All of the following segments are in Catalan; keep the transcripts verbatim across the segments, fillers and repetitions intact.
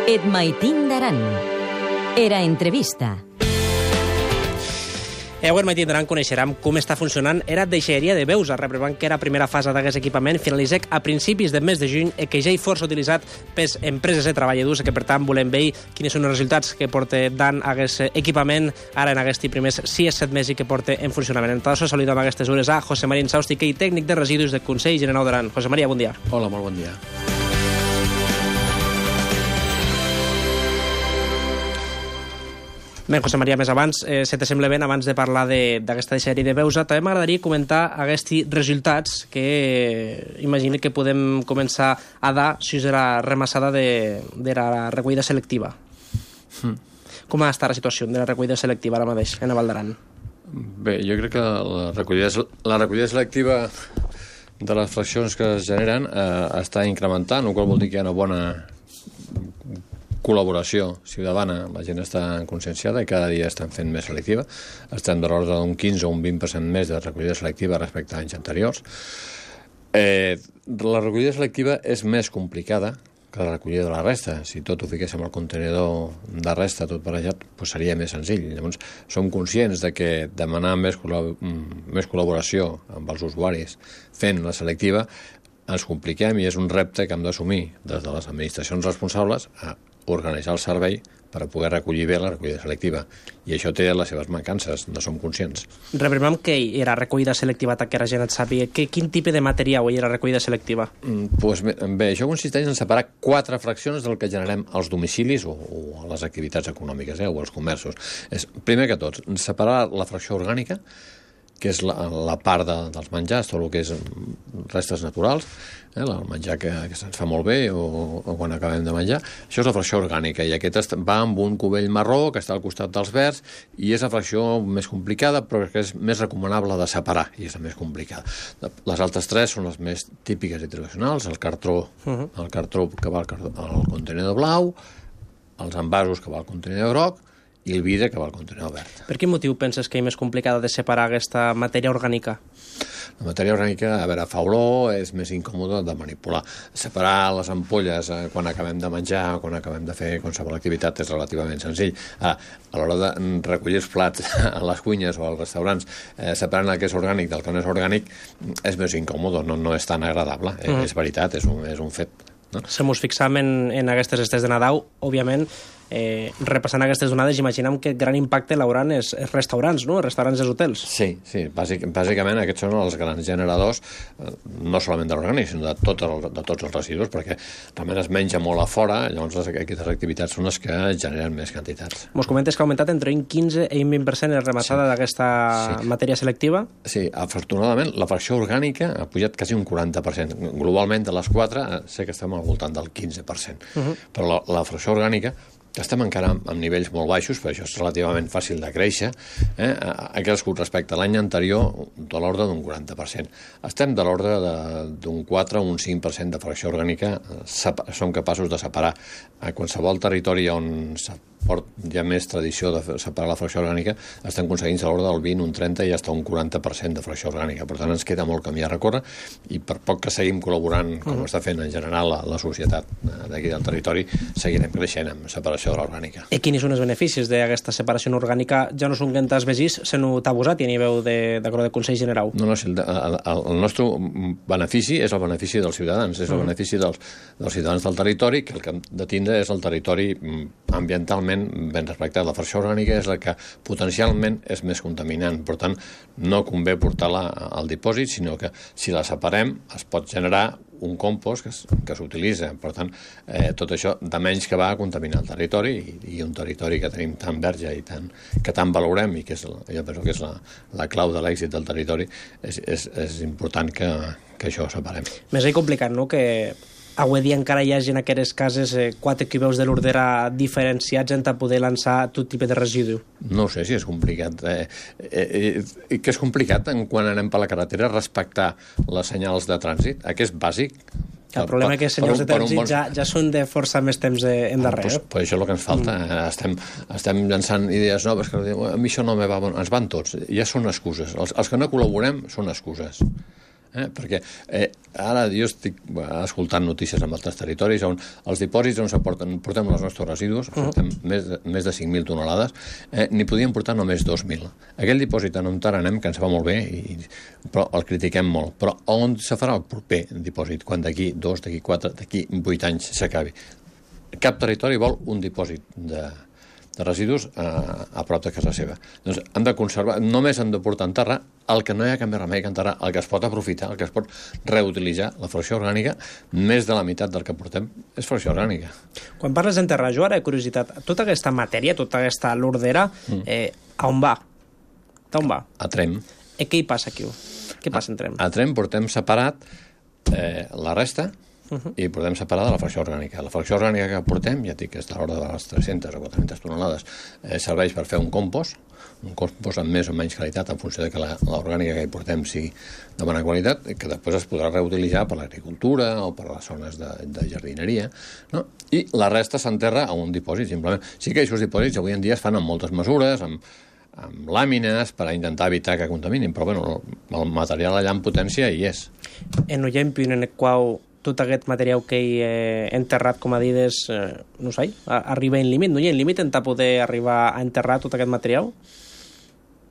Et maitin d'aran. Era entrevista. E avui al Maitin d'Aran coneixerem com està funcionant era deixalleria de Beusa, reprovant que era primera fase d'aquest equipament finalitzec a principis del mes de juny i que ja hi força utilitzat per empreses de treballadors, que per tant volem veure quins són els resultats que porta Dan aquest equipament ara en aquests primers sis set mesos que porta en funcionament. En tot això saludem a aquestes hores a José María Insaustique, tècnic de residus del Consell General d'Aran. José María, bon dia. Hola, molt bon dia. Bé, José María, més abans, eh, si te sembla bé, abans de parlar d'aquesta deixalleria de Beusa, també m'agradaria comentar aquests resultats que eh, imagino que podem començar a dar si és la remassada de, de la recollida selectiva. Mm. Com està la situació de la recollida selectiva ara mateix en Val d'Aran? Bé, jo crec que la recollida, la recollida selectiva de les fraccions que es generen eh, està incrementant, el qual vol dir que hi ha una bona col·laboració ciutadana, la gent està conscienciada i cada dia estan fent més selectiva. Estem de l'ordre d'un quinze o un vint per cent més de recollida selectiva respecte a anys anteriors. Eh, la recollida selectiva és més complicada que la recollida de la resta. Si tot ho fiquéssim al contenidor de resta, tot barrejat, doncs seria més senzill. Llavors, som conscients de que demanar més, col·lab més col·laboració amb els usuaris fent la selectiva ens compliquem i és un repte que hem d'assumir des de les administracions responsables a organitzar el servei per a poder recollir bé la recollida selectiva. I això té les seves mancances, no som conscients. Reprimem què era recollida selectiva, que la gent et sàpiga. Que, quin tipus de material era recollida selectiva? Mm, pues bé, bé, això consisteix en separar quatre fraccions del que generem als domicilis o, o a les activitats econòmiques, eh, o als comerços. És, primer que tot, separar la fracció orgànica, que és la, la part de, dels menjars, tot el que és restes naturals, eh, el menjar que, que se'ns fa molt bé o, o quan acabem de menjar. Això és la fracció orgànica i aquest va amb un cubell marró que està al costat dels verds i és la fracció més complicada però que és més recomanable de separar i és la més complicada. Les altres tres són les més típiques i tradicionals, el cartró, uh-huh. el cartró que va al, al contenidor blau, els envasos que va al contenidor groc i el vidre que va al contenidor verd. Per quin motiu penses que és més complicada de separar aquesta matèria orgànica? La matèria orgànica, a veure, fa olor, és més incòmode de manipular. Separar les ampolles eh, quan acabem de menjar, quan acabem de fer qualsevol activitat és relativament senzill. Ah, a l'hora de recollir els plats a les cuines o als restaurants, eh, separant el que és orgànic del que no és orgànic, és més incòmode, no, no és tan agradable. Mm. Eh, és veritat, és un, és un fet. No? Si ens fixam en, en aquestes estes de Nadal, òbviament, eh, repassant aquestes donades, imaginem que gran impacte l'hauran els, els restaurants, no? Els restaurants i els hotels. Sí, sí, bàsic, bàsicament aquests són els grans generadors, eh, no solament de l'orgànic, sinó de, tot el, de tots els residus, perquè realment es menja molt a fora, llavors les, aquestes activitats són les que generen més quantitats. Mos comentes que ha augmentat entre un quinze i un vint per cent la remassada sí. d'aquesta sí. matèria selectiva? Sí, afortunadament la fracció orgànica ha pujat quasi un quaranta per cent. Globalment de les quatre sé que estem al voltant del quinze per cent, uh-huh. però la, la fracció orgànica estem encara amb nivells molt baixos, però això és relativament fàcil de créixer, eh? ha crescut respecte a l'any anterior de l'ordre d'un quaranta per cent. Estem de l'ordre d'un quatre o un cinc per cent de fracció orgànica, som capaços de separar. A qualsevol territori on hi ha més tradició de separar la fracció orgànica, estem aconseguint a l'ordre del vint, un trenta i fins a un quaranta per cent de fracció orgànica. Per tant, ens queda molt camí a recórrer i per poc que seguim col·laborant, com uh-huh. està fent en general la, la societat d'aquí del territori, seguirem creixent amb separació de l'orgànica. I quins són els beneficis d'aquesta separació orgànica? Ja no són que entàs vegis, se n'ho t'ha abusat i a nivell de, de, de Consell General. No, no, el, el, el nostre benefici és el benefici dels ciutadans, és el uh-huh. benefici dels, dels ciutadans del territori, que el que hem de tindre és el territori ambientalment ben respectat. La fracció orgànica és la que potencialment és més contaminant, per tant no convé portar-la al dipòsit, sinó que si la separem es pot generar un compost que, que s'utilitza, per tant eh, tot això de menys que va a contaminar el territori i, i un territori que tenim tan verge i tan, que tant valorem i que és, jo penso que és la, la clau de l'èxit del territori, és, és, és important que, que això ho separem. Més és complicat, no?, que avui dia encara hi hagi en aquestes cases eh, quatre quilos de l'ordera diferenciats en poder lançar tot tipus de residu. No ho sé si és complicat. Eh, eh, eh, que és complicat quan anem per la carretera respectar les senyals de trànsit. Aquest és bàsic. El problema és que els senyals de trànsit bon... ja, ja són de força més temps endarrere. Ah, pues, pues això és el que ens falta. Mm. Estem, estem llançant idees noves que a mi això no me va... Ens van tots. Ja són excuses. Els, els que no col·laborem són excuses. Eh? Perquè eh, ara jo estic escoltant notícies en altres territoris on els dipòsits on porten, portem els nostres residus, uh -huh. portem més, de, més de cinc mil tonelades, eh, n'hi podien portar només dos mil. Aquell dipòsit en on ara anem, que ens va molt bé, i, però el critiquem molt. Però on se farà el proper dipòsit? Quan d'aquí dos, d'aquí quatre, d'aquí vuit anys s'acabi? Cap territori vol un dipòsit de, de residus a, a prop de casa seva. Doncs han de conservar, només han de portar a enterrar el que no hi ha cap més remei que enterrar, el que es pot aprofitar, el que es pot reutilitzar. La fracció orgànica, més de la meitat del que portem és fracció orgànica. Quan parles d'enterrar, jo ara he curiositat, tota aquesta matèria, tota aquesta lordera, mm. eh, a on va? A on va? A Trem. I què hi passa aquí? Què passa en Trem? A, a Trem portem separat eh, la resta, Uh -huh. i portem separada la fracció orgànica. La fracció orgànica que portem, ja dic que és de l'ordre de les tres-centes o quatre-centes tonelades, eh, serveix per fer un compost, un compost amb més o menys qualitat en funció de que l'orgànica que hi portem sigui de bona qualitat, que després es podrà reutilitzar per l'agricultura o per les zones de, de jardineria, no? I la resta s'enterra a un dipòsit, simplement. Sí que aquests dipòsits avui en dia es fan amb moltes mesures, amb amb làmines per a intentar evitar que contaminin, però bueno, el material allà en potència hi és. En un exemple en el qual tot aquest material que he eh, enterrat, com a dides, eh, no sé, arriba en límit? No hi ha límit en poder arribar a enterrar tot aquest material?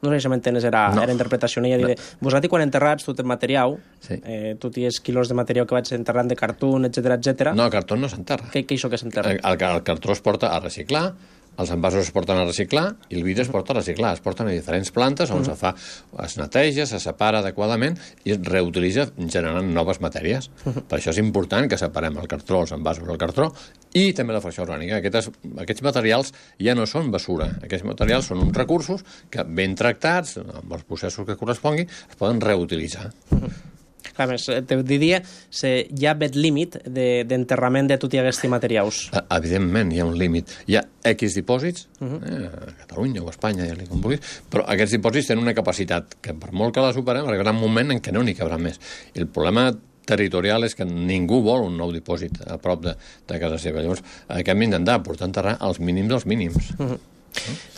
No sé si m'entenes, era, no. era interpretació. No hi ha no. Vosaltres, quan enterrats tot el material, sí. eh, tu tens quilos de material que vaig enterrant de cartó, etcètera, etcètera. No, el cartó no s'enterra. Què, què és això que s'enterra? El, el, el cartó es porta a reciclar, els envasos es porten a reciclar i el vidre es porta a reciclar. Es porten a diferents plantes on uh -huh. se fa, es neteja, se separa adequadament i es reutilitza generant noves matèries. Uh -huh. Per això és important que separem el cartró, els envasos del cartró i també la fracció orgànica. Aquests, aquests materials ja no són basura. Aquests materials són uns recursos que, ben tractats, amb els processos que corresponguin, es poden reutilitzar. Uh -huh. A més, te diria, se, hi ha aquest límit d'enterrament de, de tots aquests materials. Evidentment, hi ha un límit. Hi ha X dipòsits, uh -huh. eh, a Catalunya o a Espanya, ja li com vulguis, però aquests dipòsits tenen una capacitat que, per molt que la superem, arribarà un moment en què no n'hi cabrà més. I el problema territorial és que ningú vol un nou dipòsit a prop de, de casa seva. Llavors, eh, que hem d'intentar portar a enterrar els mínims dels mínims. Uh -huh. no?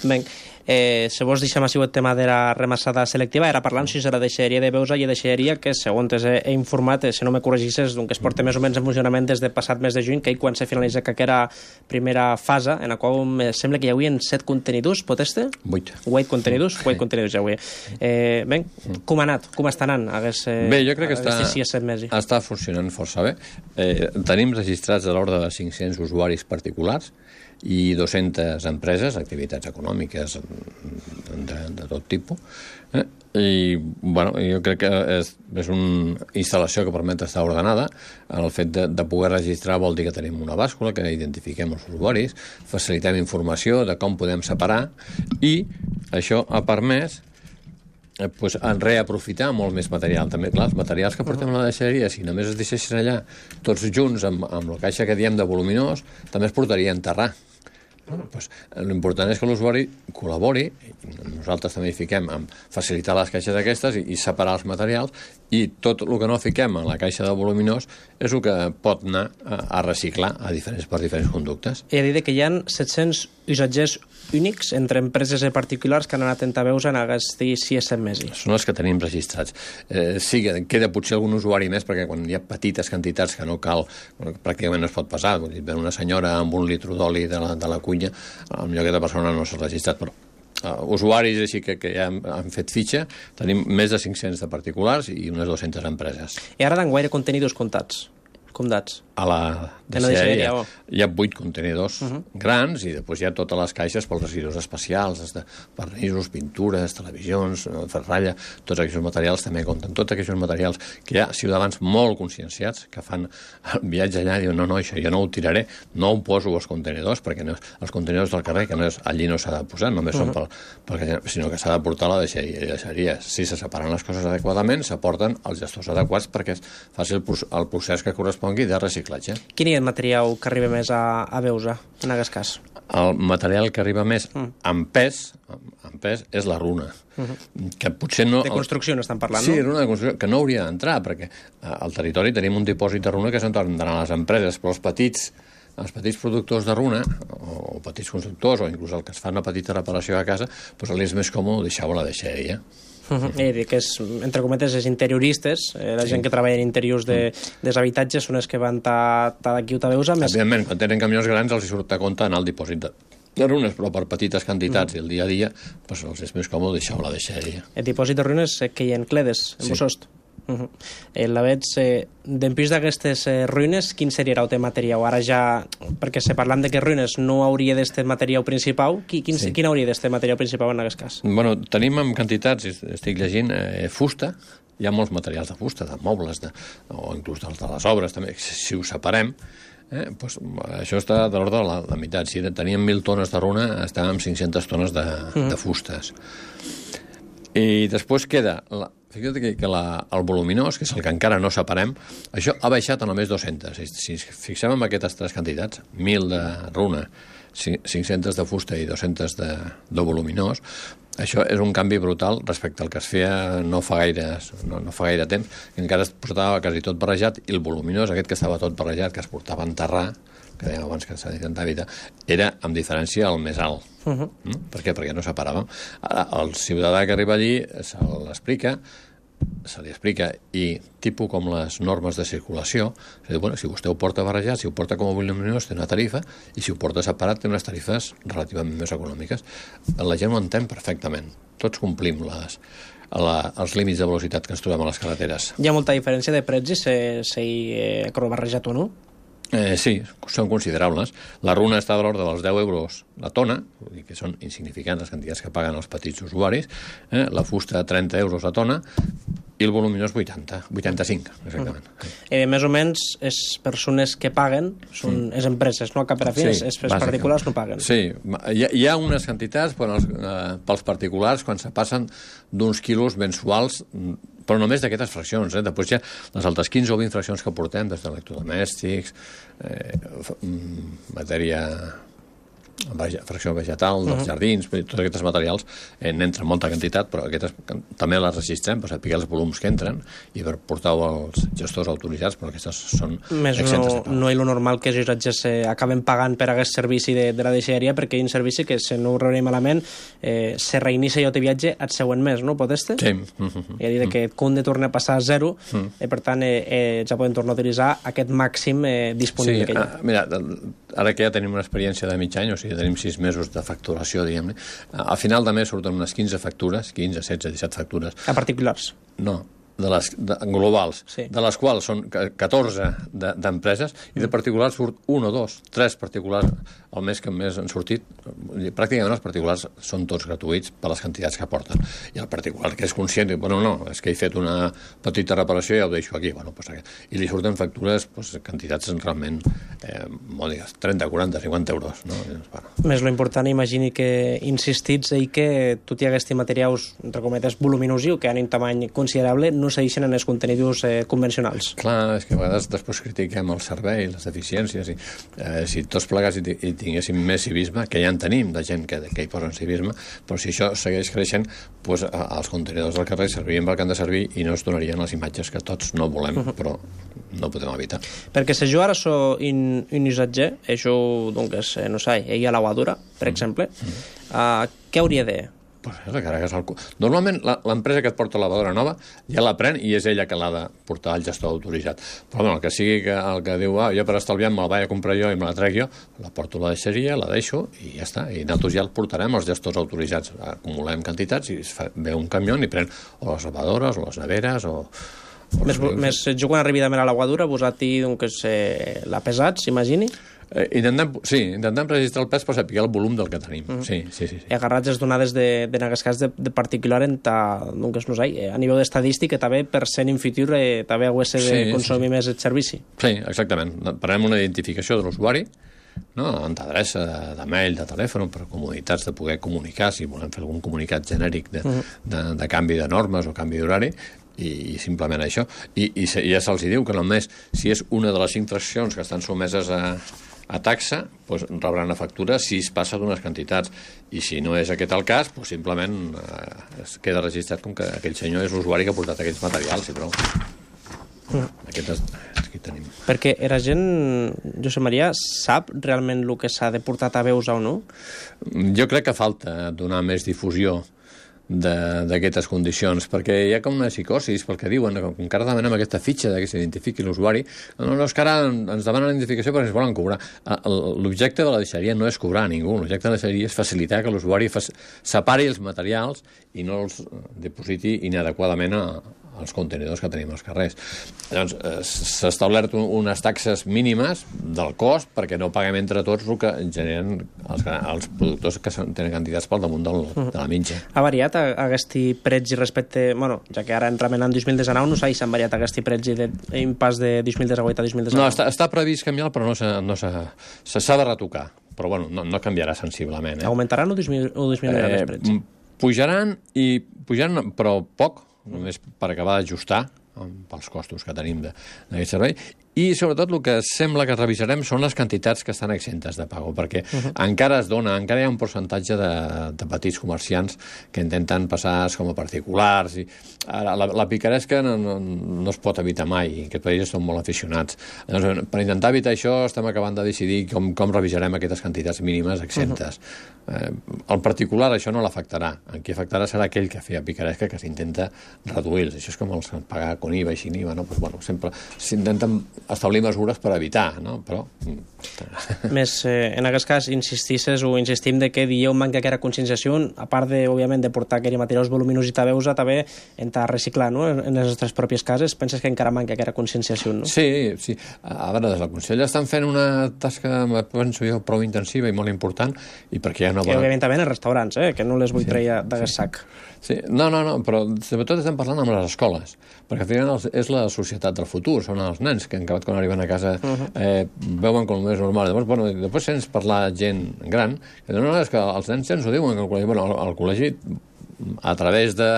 Ben, eh, si vols deixem així el tema de la remassada selectiva, ara parlant si serà deixeria de Beusa i deixeria que, segons he, he informat, eh, si no me corregisses, doncs, que es porta més o menys en funcionament des de passat mes de juny, que quan se finalitza que era primera fase, en la qual me sembla que hi havia set contenidors, pot este? Vuit. Vuit contenidors? Vuit contenidors ja avui. Eh, ben, com ha anat? Com està anant? Hagués, eh, bé, jo crec que està, mesos? està funcionant força bé. Eh, tenim registrats de l'ordre de cinc-cents usuaris particulars i dues-centes empreses, activitats econòmiques de, de tot tipus. Eh? I, bueno, jo crec que és, és una instal·lació que permet estar ordenada. El fet de, de poder registrar vol dir que tenim una bàscula, que identifiquem els usuaris, facilitem informació de com podem separar i això ha permès eh, pues, en reaprofitar molt més material. També, clar, els materials que portem a la deixeria, si només es deixessin allà tots junts amb, amb la caixa que diem de voluminós, també es portaria a enterrar. Pues, l'important és que l'usuari col·labori, nosaltres també hi fiquem en facilitar les caixes aquestes i, i separar els materials, i tot el que no fiquem en la caixa de voluminós és el que pot anar a, a reciclar a diferents, per diferents conductes. He dit que hi ha set-cents usatgers únics entre empreses i particulars que han anat a Beusa en aquests sis set mesos. Són els que tenim registrats. Eh, sí que queda potser algun usuari més, perquè quan hi ha petites quantitats que no cal, bueno, pràcticament no es pot passar, vull dir, una senyora amb un litro d'oli de, la, de la cuina, potser aquesta persona no s'ha registrat, però uh, usuaris així que, que ja han, han fet fitxa, tenim més de cinc-cents de particulars i unes dues-centes empreses. I ara d'enguaire contenidors comptats? comptats? A la deixeria oh. hi ha vuit contenidors uh -huh. grans i després hi ha totes les caixes pels residus especials, de vernissos, pintures, televisions, ferralla, tots aquests materials també compten. Tots aquests materials que hi ha ciutadans molt conscienciats que fan el viatge allà i diuen no, no, això jo no ho tiraré, no ho poso als contenidors, perquè no, els contenidors del carrer, que no és, allí no s'ha de posar, només uh -huh. són pel, pel, sinó que s'ha de portar a la deixeria. I deixeria. Si se separen les coses adequadament, s'aporten els gestors adequats perquè es faci el, el procés que correspongui de reciclatge. Quin és el material que arriba més a, a Beusa, en aquest cas? El material que arriba més mm. en pes, en pes és la runa. Mm-hmm. Que potser no... De construcció no estan parlant, sí, no? Sí, runa de construcció, que no hauria d'entrar, perquè al territori tenim un dipòsit de runa que s'han d'anar a les empreses, però els petits, els petits productors de runa, o, o petits constructors, o inclús el que es fa una petita reparació a casa, doncs és més còmode deixar-ho a la deixeria. Uh -huh. I que és, entre cometes, els interioristes, eh, la sí. gent que treballa en interiors de, mm. dels habitatges són els que van ta, ta d'aquí o ta veus. Més... Evidentment, quan tenen camions grans els hi surt a compte anar al dipòsit de, de runes, però per petites quantitats mm. i el dia a dia pues, els és més còmode deixar-ho a la deixeria. El dipòsit de runes eh, que hi ha en Cledes, en sí. Bossost. Uh -huh. eh, la veig, eh, d'empís d'aquestes eh, ruïnes, quin seria el teu material? Ara ja, perquè se parlant de que ruïnes no hauria d'este material principal, qui, quin, sí. quin hauria d'este material principal en aquest cas? Bueno, tenim en quantitats, estic llegint, eh, fusta, hi ha molts materials de fusta, de mobles, de, o inclús de, de les obres, també, si ho separem, eh, doncs, això està de l'ordre de la, la meitat. Si teníem mil tones de runa, estàvem amb cinc-centes tones de, uh-huh. de fustes. I després queda... La, Fixa't que, que la, el voluminós, que és el que encara no separem, això ha baixat a només dues-centes. Si ens fixem en aquestes tres quantitats, mil de runa, cinc-centes de fusta i dues-centes de, de voluminós, això és un canvi brutal respecte al que es feia no fa gaire, no, no fa gaire temps, que encara es portava quasi tot barrejat, i el voluminós, aquest que estava tot barrejat, que es portava a enterrar, que dèiem abans que s'ha d'intentar evitar, era, amb diferència, el més alt. Uh -huh. mm? Per què? Perquè no separàvem. El ciutadà que arriba allí se l'explica, se li explica, i tipus com les normes de circulació, dir, bueno, si vostè ho porta barrejat, si ho porta com a voluminós té una tarifa, i si ho porta separat té unes tarifes relativament més econòmiques. La gent ho entén perfectament. Tots complim les, la, els límits de velocitat que ens trobem a les carreteres. Hi ha molta diferència de precis si, si eh, barrejat o no? Eh, sí, són considerables. La runa està de l'ordre dels deu euros la tona, vull dir que són insignificants les quantitats que paguen els petits usuaris, eh? La fusta trenta euros la tona, i el voluminós vuitanta, vuitanta-cinc, exactament. Mm. Eh, més o menys, les persones que paguen són les mm. empreses, no? Cap a fi, sí, els particulars no paguen. Sí, hi ha, hi ha unes quantitats però els, eh, pels particulars quan se passen d'uns quilos mensuals, però només d'aquestes fraccions. Eh? Després hi ha les altres quinze o vint fraccions que portem, des d'electrodomèstics, eh, matèria... fracció vegetal, dels uh -huh. jardins, tots aquests materials eh, n'entra molta quantitat, però aquestes també les registrem per saber els volums que entren i per portar-ho als gestors autoritzats, però aquestes són més no, no és lo normal que els usatges eh, acaben pagant per aquest servici de, de la deixalleria, perquè hi ha un servici que, si no ho rebrem malament, eh, se reinicia i el viatge el següent mes, no? Pot este? Sí. Uh -huh. I a dir que et compte torna a passar a zero, uh -huh. eh, per tant, eh, eh, ja podem tornar a utilitzar aquest màxim eh, disponible sí, que hi ha. Ah, mira, ara que ja tenim una experiència de mig any, o sigui, tenim sis mesos de facturació, diguem-ne, al final de mes surten unes quinze factures, quinze, setze, disset factures. A particulars? No, de les de, globals, sí. De les quals són catorze d'empreses, de, i de particulars surt un o dos, tres particulars al mes que més han sortit. Pràcticament els particulars són tots gratuïts per les quantitats que porten. I el particular que és conscient diu, bueno, no, és que he fet una petita reparació i ja ho deixo aquí. Bueno, pues, i li surten factures, pues, quantitats realment, eh, molt digues, trenta, quaranta, cinquanta euros. No? I, bueno. Més lo important, imagini que insistits i que tot i aquests materials, entre cometes, voluminosius, que han un tamany considerable, no segueixen en els contenidors eh, convencionals. Clar, és que a vegades després critiquem el servei, les deficiències, i eh, si tots plegats i, i tinguéssim més civisme, que ja en tenim, de gent que, que hi posen civisme, però si això segueix creixent, doncs els contenidors del carrer servien pel que han de servir i no es donarien les imatges que tots no volem, uh -huh. però no podem evitar. Perquè si jo ara soc un, un usatger, això, doncs, no sé, ella a la lavadora, per exemple, uh -huh. uh, què hauria de... Pues és que el... Normalment l'empresa que et porta la lavadora nova ja la pren i és ella que l'ha de portar al gestor autoritzat. Però bueno, el que sigui que, el que diu, ah, jo per estalviar me la vaig a comprar jo i me la trec jo, la porto a la deixeria, la deixo i ja està. I nosaltres ja el portarem als gestors autoritzats. Acumulem quantitats i es fa, ve un camió i pren o les lavadores o les neveres o... o més, més, jo quan arribi també a la lavadora vos-hi doncs, eh, la pesat, s'imagini? Eh, intentem, sí, intentem registrar el pes per saber el volum del que tenim. Uh -huh. sí, sí, sí, sí. I agarrats les donades de, de, en aquest cas de, de particular en ta, doncs, no sé, a nivell d'estadístic també per ser en futur eh, també ho de sí, consumir sí. més el servici. Sí, exactament. Farem una identificació de l'usuari, no? En t'adreça de, de mail, de telèfon, per comoditats de poder comunicar, si volem fer algun comunicat genèric de, uh -huh. de, de canvi de normes o canvi d'horari, i, i simplement això. I, i ja se'ls diu que només si és una de les cinc fraccions que estan someses a a taxa, doncs rebran la factura si es passa d'unes quantitats, i si no és aquest el cas, doncs simplement eh, es queda registrat com que aquell senyor és l'usuari que ha portat aquells materials i prou. Mm. Aquest és, aquí tenim. Perquè la gent, Josep Maria, sap realment el que s'ha de portar a veus o no? Jo crec que falta donar més difusió d'aquestes condicions, perquè hi ha com una psicosis, pel que diuen, que encara demanem aquesta fitxa de que s'identifiqui l'usuari. No, no, és que ara ens demanen la identificació perquè ens volen cobrar. L'objecte de la deixalleria no és cobrar a ningú, l'objecte de la deixalleria és facilitar que l'usuari separi els materials i no els depositi inadequadament a els contenidors que tenim als carrers. Llavors, s'ha establert unes taxes mínimes del cost perquè no paguem entre tots el que generen els, els productors que tenen quantitats pel damunt del, de la mitja. Ha variat aquest preci respecte... Bueno, ja que ara entrem en l'any dos mil dinou, no sé si han variat aquest preci d'impàs de dos mil divuit a dos mil dinou. No, està, està previst canviar, però no s'ha no de retocar. Però bueno, no, no canviarà sensiblement. Eh? Augmentaran o disminuiran els precis? Pujaran, i pujaran, però poc, només per acabar d'ajustar pels costos que tenim d'aquest servei. I, sobretot, el que sembla que revisarem són les quantitats que estan exentes de pago, perquè uh-huh. encara es dona, encara hi ha un percentatge de, de petits comerciants que intenten passar com a particulars. I ara, la, la picaresca no, no, no es pot evitar mai, i aquest país són molt aficionats. Llavors, per intentar evitar això, estem acabant de decidir com, com revisarem aquestes quantitats mínimes exemptes. Uh-huh. Eh, el particular això no l'afectarà. El que afectarà serà aquell que feia picaresca, que s'intenta reduir-los. Això és com els pagar con I V A i sin I V A, no? Pues, bueno, sempre s'intenten establir mesures per evitar, no? Però... Més, eh, en aquest cas, insistisses o insistim de que dieu manca aquella conscienciació, a part de, òbviament, de portar aquells materials voluminosos i tabeus, també entrar a reciclar, no?, en les nostres pròpies cases. Penses que encara manca aquella conscienciació, no? Sí, sí. A veure, des del Consell estan fent una tasca, penso jo, prou intensiva i molt important, i perquè hi ha una bona... I, òbviament, també en els restaurants, eh?, que no les vull sí, treure d'aquest sí. sac. Sí. No, no, no, però sobretot estem parlant amb les escoles, perquè al final és la societat del futur, són els nens que han acabat quan arriben a casa uh-huh. eh, veuen com és normal. Llavors, bueno, després sents parlar gent gran, que no, no, és que els nens ja ens ho diuen, que al col·legi, bueno, al, al col·legi a través de,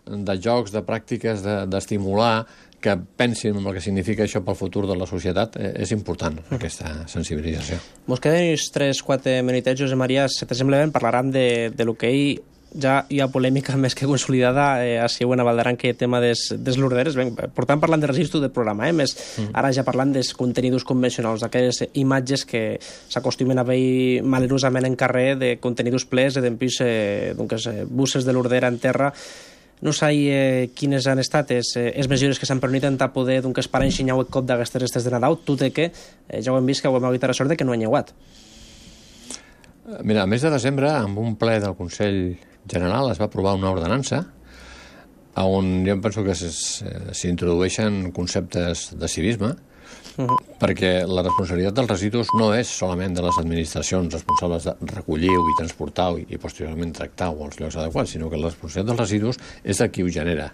de jocs, de pràctiques, d'estimular de, que pensin en el que significa això pel futur de la societat, eh, és important, uh-huh. aquesta sensibilització. Mos queden uns tres quatre minutets, Josep Maria, si t'assembla bé, parlarem de, de l'hoquei. Ja hi ha polèmica més que consolidada eh, a Següent a Valdaran, que tema des, des l'orderes. Portant parlant de registro del programa, eh? Més, mm. ara ja parlant dels contenidors convencionals, d'aquelles imatges que s'acostumen a veure malerosament en carrer, de contenidors plens, d'empís, eh, doncs, eh, busses de l'ordera en terra. No sé eh, quines han estat les eh, mesures que s'han permès a poder doncs, parar enxinyar el cop d'aquestes restes de Nadal, tot i que eh, ja ho hem vist que ho hem hagut la sort de que no ha lleuat. Mira, a mes de desembre, amb un ple del Consell General es va aprovar una ordenança on jo penso que s'introdueixen conceptes de civisme, uh-huh. perquè la responsabilitat dels residus no és solament de les administracions responsables de recollir-ho i transportar-ho i, i posteriorment tractar-ho als llocs adequats, sinó que la responsabilitat dels residus és de qui ho genera.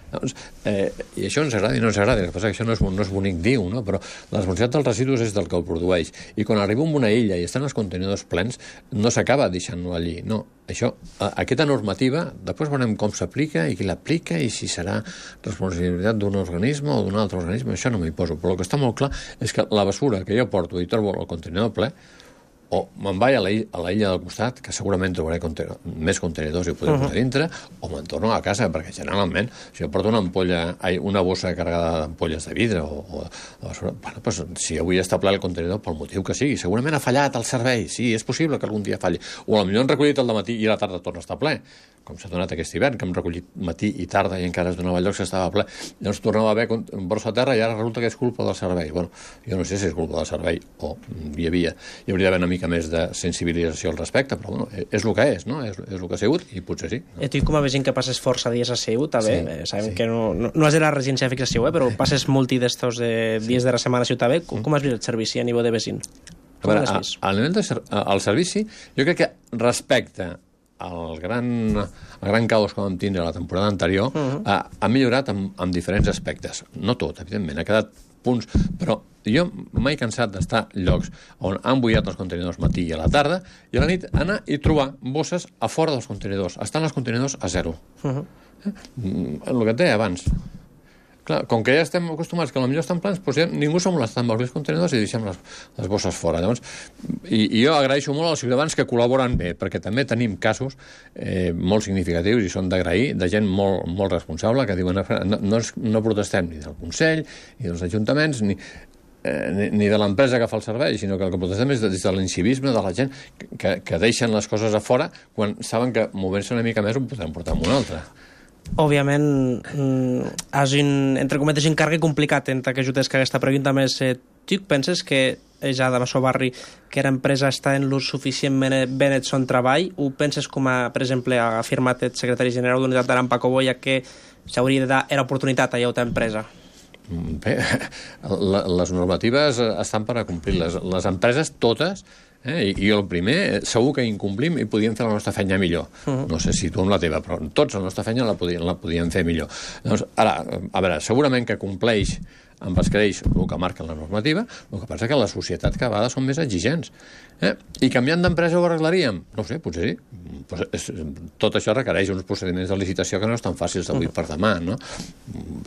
Doncs, eh, i això ens agrada i no ens agrada, el que passa que això no és, no és bonic dir-ho, no? Però la responsabilitat dels residus és del que ho produeix, i quan arriba a una illa i estan els contenidors plens no s'acaba deixant-lo allí, no. Això, aquesta normativa, després veurem com s'aplica i qui l'aplica i si serà responsabilitat d'un organisme o d'un altre organisme, això no m'hi poso, però el que està molt clar és que la basura que jo porto i trobo al contenidor ple, o me'n vaig a la, a la illa del costat, que segurament trobaré contenidor, més contenidors i ho podré uh-huh. posar dintre, o me'n torno a casa, perquè generalment, si jo porto una ampolla, una bossa carregada d'ampolles de vidre, o, o, o bueno, pues, si avui està ple el contenidor, pel motiu que sigui, segurament ha fallat el servei, sí, és possible que algun dia falli, o potser han recollit el dematí i a la tarda torna a estar ple, com s'ha donat aquest hivern, que hem recollit matí i tarda i encara es donava lloc que estava ple. Llavors tornava a haver borsa a terra i ara resulta que és culpa del servei. Bueno, jo no sé si és culpa del servei o hi havia, hi hauria d'haver una mica més de sensibilització al respecte, però bueno, és el que és, no? És, és el que ha sigut i potser sí. No? I tu com a veient que passes força dies a Seut, també, sí, eh, sabem sí. que no, no, no és de la residència de fixació, eh, però passes molt d'estos de dies sí. de la setmana a Ciutat també. Com, com has vist el servici a nivell de veïn? A veure, a, a nivell de ser, al servici, jo crec que respecte el gran, el gran caos que vam tindre la temporada anterior uh-huh. ha, ha millorat en, en diferents aspectes. No tot, evidentment, ha quedat punts, però jo m'he cansat d'estar llocs on han bullat els contenidors matí i a la tarda i a la nit anar i trobar bosses a fora dels contenidors. Estan els contenidors a zero. Uh-huh. eh? El que et deia abans. Clar, com que ja estem acostumats que potser estan plans, doncs ja ningú s'ha molestat amb els contenidors i deixem les, les bosses fora. Llavors, i, i jo agraeixo molt als ciutadans que col·laboren bé, perquè també tenim casos eh, molt significatius i són d'agrair, de gent molt, molt responsable que diuen no, no, no protestem ni del Consell ni dels ajuntaments, ni... eh, ni, ni de l'empresa que fa el servei, sinó que el que protestem és des de l'incivisme de la gent que, que deixen les coses a fora quan saben que movent-se una mica més ho podem portar amb una altra. Òbviament, és un, entre cometes, un càrrec complicat entre que ajutes que aquesta pregunta més. Eh, tu penses que ja de Massó Barri que l'empresa està en l'ús suficientment ben el son treball, o penses com, a, per exemple, ha afirmat el secretari general d'Unitat d'Aran, Paco Boya, que s'hauria de dar l'oportunitat a aquesta empresa? Bé, les normatives estan per a complir-les. Les empreses, totes, eh, i el primer, segur que incomplim i podíem fer la nostra feina millor. Uh-huh. No sé si tu amb la teva, però tots la nostra feina la podíem, la podíem fer millor. Doncs, ara, a veure, segurament que compleix amb els crèdits el que marca la normativa, el que passa que la societat cada vegada són més exigents. Eh? I canviant d'empresa ho arreglaríem? No ho sé, potser sí. Pues és, tot això requereix uns procediments de licitació que no estan fàcils d'avui per demà, no?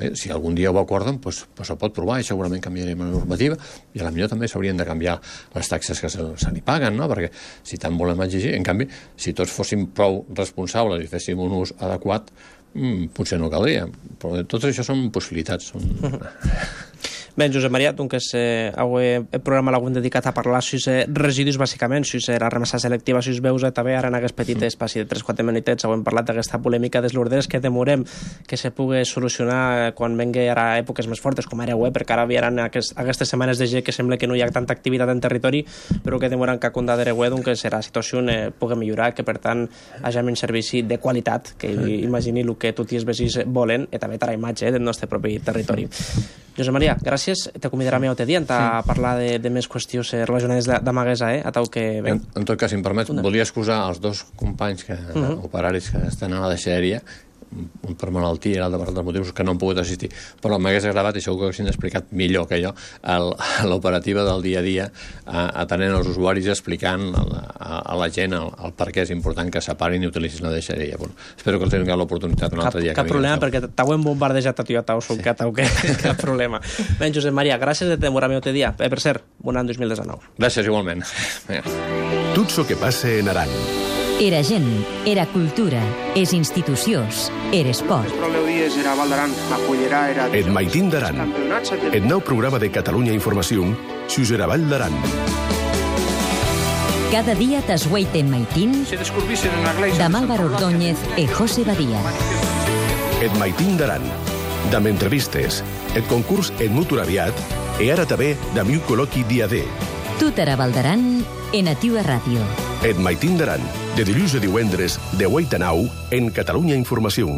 Bé, si algun dia ho acorden, pues, pues ho pot provar i segurament canviarem la normativa i a la millor també s'haurien de canviar les taxes que se, se n'hi paguen, no? Perquè si tant volem exigir, en canvi, si tots fóssim prou responsables i féssim un ús adequat, Mm, potser no caldria, però tot això són possibilitats. Són... Bé, Josep Maria, doncs eh, avui el programa l'hem dedicat a parlar sus eh, residus, bàsicament, sus eh, la remessa selectiva, sus veus, eh, també ara en aquest petit espaci de tres quatre minutets hem parlat d'aquesta polèmica dels lourderes que demorem que se pugui solucionar quan vengui ara èpoques més fortes, com ara web, perquè ara vieran aquest, aquestes setmanes de G que sembla que no hi ha tanta activitat en territori, però que demoren que a compte de web, doncs la situació eh, pugui millorar, que per tant hagin un servici de qualitat, que imagini el que tots els veïns volen, i també a la imatge eh, del nostre propi territori. Josep Maria, gràcies. T'acomiadarà més altre dia a parlar de, de més qüestions relacionades d'Amaguesa, eh? A tau que... En, en tot cas, si em permets, volia excusar els dos companys que, uh -huh. operaris que estan a la deixeria, un per malaltia i l'altre per altres motius, que no han pogut assistir, però m'hagués agradat, i segur que haguessin explicat millor que jo, l'operativa del dia a dia, atenent els usuaris i explicant a la, a la gent el, el per què és important que separin i utilitzin la deixeria. Bueno, espero que els tingueu l'oportunitat un altre dia. Cap problema, perquè t'ho hem bombardejat a tu i a t'ho solcat, cap problema. Bé, Josep Maria, gràcies de demorar-me un dia. Eh, per cert, bon any dos mil dinou. Gràcies, igualment. Tot això que passa en Aran. Era gent, era cultura, és institucions, era esport. Et Maitín d'Aran, el nou programa de Catalunya Informació, sus era Vall d'Aran. Cada dia t'esgueiten Maitín, de Álvaro Ordóñez e José Badía. Et Maitín d'Aran, d'amb entrevistes, et concurs et mutur aviat, e ara també d'amiu col·loqui dia D. Tot era Vall d'Aran, en Ativa Ràdio. Et Maitín d'Aran, de dilluns a divendres, de vuit a nou, en Catalunya Informació.